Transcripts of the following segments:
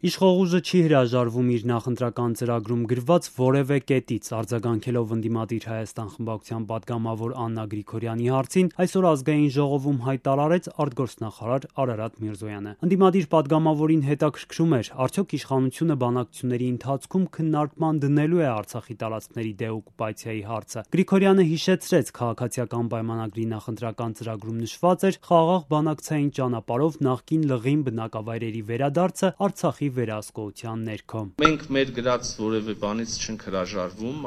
Իշխող ուժը չի հրաժարվում իր նախընտրական ծրագրում գրված որևէ կետից։ Արձագանքելով «Ընդդիմադիր Հայաստան» խմբակցության պատգամավոր Աննա Գրիգորյանի հարցին, այսօր Ազգային ժողովում հայտարարեց արտգործնախարար Արարատ Միրզոյանը։ Ընդդիմադիր պատգամավորին հետաքրքրում էր, արդյոք իշխանությունը բանակցությունների ընթացքում քննարկման դնելու է Արցախի տարածքների դեօկուպացիայի հարցը։ Գրիգորյանը հիշեցրեց, քաղաքացիական պայմանագրի նախընտրական ծրագրում նշված էր խաղաղ բանակցային ճանապարհով նախկին լղին բնակավայրերի վերադարձը Արցախի վերահսկողության ներքո։ Մենք մեր գրած որևէ բանից չենք հրաժարվում,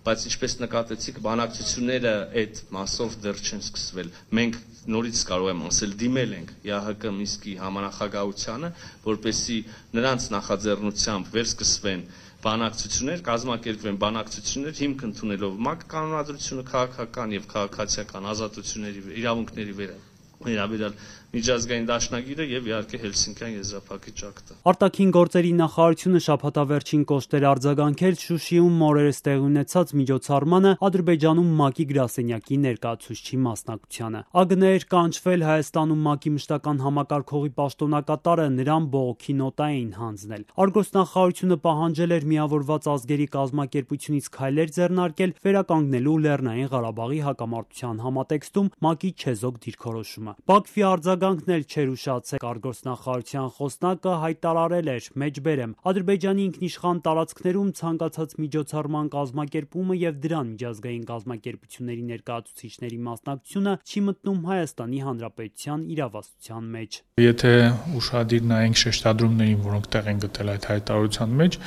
բայց ինչպես նկատեցիք, բանակցությունները այդ մասով դեռ չեն սկսվել։ Մենք նորից կարող եմ ասել, դիմել ենք ԵԱՀԿ Մինսկի համանախագահությանը, որպեսզի նրանց նախաձեռնությամբ վերսկսվեն բանակցություններ, կազմակերպվեն բանակցություններ, հիմք ընդունելով ՄԱԿ կանոնադրությունը, քաղաքական եւ քաղաքացիական ազատությունների, իրավունքների վերաբերյալ միջազգային դաշնագիրը եւ իհարկե Հելսինկյան եզրափակիչ ակտը։ Արտաքին գործերի նախարարությունը շաբաթավերջին կոշտեր արձագանքել Շուշիում օրերս տեղի ունեցած միջոցառմանը Ադրբեջանում ՄԱԿ-ի գրասենյակի ներկայացուցչի մասնակցությանը։ ԱԳՆ-էր կանչվել Հայաստանում ՄԱԿ-ի մշտական համակարգողի պաշտոնակատարը, նրան բողոքի նոտա էին հանձնել։ Արտգործնախարարությունը պահանջել էր Միավորված ազգերի կազմակերպությունից քայլեր ձեռնարկել վերականգնելու Լեռնային Ղարաբաղի հակամարտության համատեքստում ՄԱԿ-ի չեզոք դիրքորոշումը։ Բաքվի արձագանքն էլ չէր ուշացել։ Արտգործնախարարության խոսնակը հայտարարել էր. «Մեջբերեմ, Ադրբեջանի ինքնիշխան տարածքներում ցանկացած միջոցառման կազմակերպումը եւ դրան միջազգային կազմակերպությունների ներկայացուցիչների մասնակցությունը չի մտնում Հայաստանի Հանրապետության իրավասության մեջ»։ Եթե ուշադիր նայենք շեշտադրումներին, որոնք տեղ են գտել այդ հայտարարության մեջ,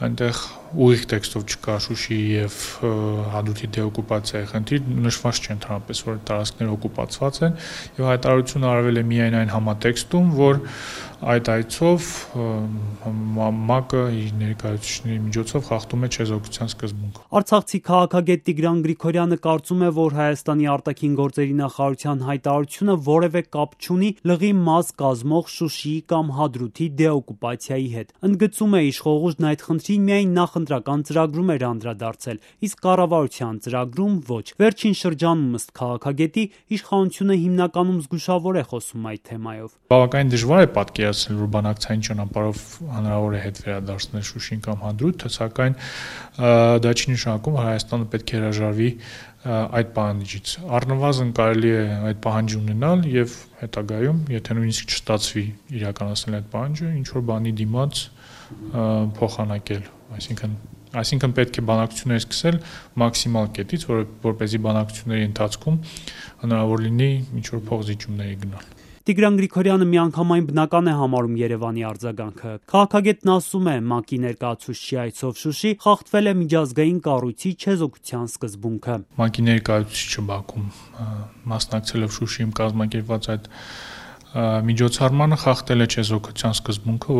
այնտեղ ուղիղ տեքստով չկա Շուշիի եւ Հադրութի դեօկուպացիայի խնդիր, նշված չէ ընդհանրապես, որ տարածքները օկուպացված են, եւ հայտարարությունը արվել է միայն այն համատեքստում, որ այդ այցով ՄԱԿ-ը իր ներկայացուցիչների միջոցով խախտում է չեզոքության սկզբունքը։ Արցախցի քաղաքագետ Տիգրան Գրիգորյանը կարծում է, որ Հայաստանի արտաքին գործերի նախարարության հայտարարությունը որևէ կապ չունի լղի մաս կազմող Շուշիի կամ Հադրութի դեօկուպացիայի հետ։ Ընդգծում է, իշխող ուժն այդ խնդրին միայն նախընտրական ծրագրում էր անդրադարձել, իսկ կառավարության ծրագրում ոչ։ Վերջին շրջանում, ըստ քաղաքագետի, իշխանությունը հիմնականում զգուշավոր է խոսում այդ թեմայով։ Բավականին դժվար է պատկերացնել, որ բանակցային ճանապարհով հնարավոր է հետ վերադարձնել Շուշին կամ Հադրութը, սակայն դա չի նշանակում, որ Հայաստանը պետք է հրաժարվի այդ պահանջից։ Առնվազն կարելի է այդ պահանջը ունենալ եւ հետագայում, եթե նույնիսկ չստացվի իրականացնել այդ պահանջը, ինչ որ բանի դիմաց փոխանակել, այսինքն պետք է բանակցություններ սկսել մաքսիմալ կետից, որպեսզի բանակցությունների ընթացքում հնարավոր լինի ինչ որ փոխզիջումների գնալ։ Տիգրան Գրիգորյանը միանգամայն բնական է համարում Երևանի արձագանքը։ Քաղաքագետն ասում է, ՄԱԿ-ի ներկայացուցչի այցով Շուշի խախտվել է միջազգային կառույցի չեզոքության սկզբունքը։ ՄԱԿ-ի ներկայացուցիչը Բաքվում մասնակցելով Շուշիում կազմակերպված այդ միջոցառմանը խախտել է չեզոքության սկզբունքը,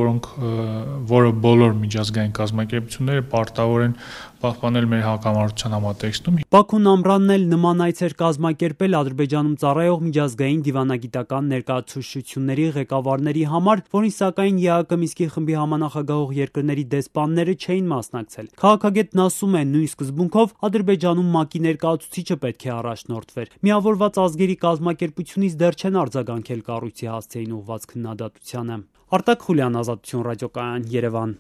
որը բոլոր միջազգային կազմակերպությունները պարտավոր են պահպանել մեր հակամարտության համատեքստում։ Բաքուն ամռանն էլ նման այց էր կազմակերպել Ադրբեջանում ծառայող միջազգային դիվանագիտական ներկայացուցչությունների ղեկավարների համար, որին սակայն ԵԱՀԿ Մինսկի խմբի համանախագահող երկրների դեսպանները չէին մասնակցել։ Քաղաքագետն ասում է, նույն սկզբունքով Ադրբեջանում ՄԱԿ-ի ներկայացուցիչը պետք է առաջնորդվեր։ Միավորված ազգերի կազմակերպությունից դեռ չեն արձագանքել կառույցի հասցեին ուղղված քննադատությանը։ Արտակ Խուլյան, Ազատություն ռադիոկայան, Երևան։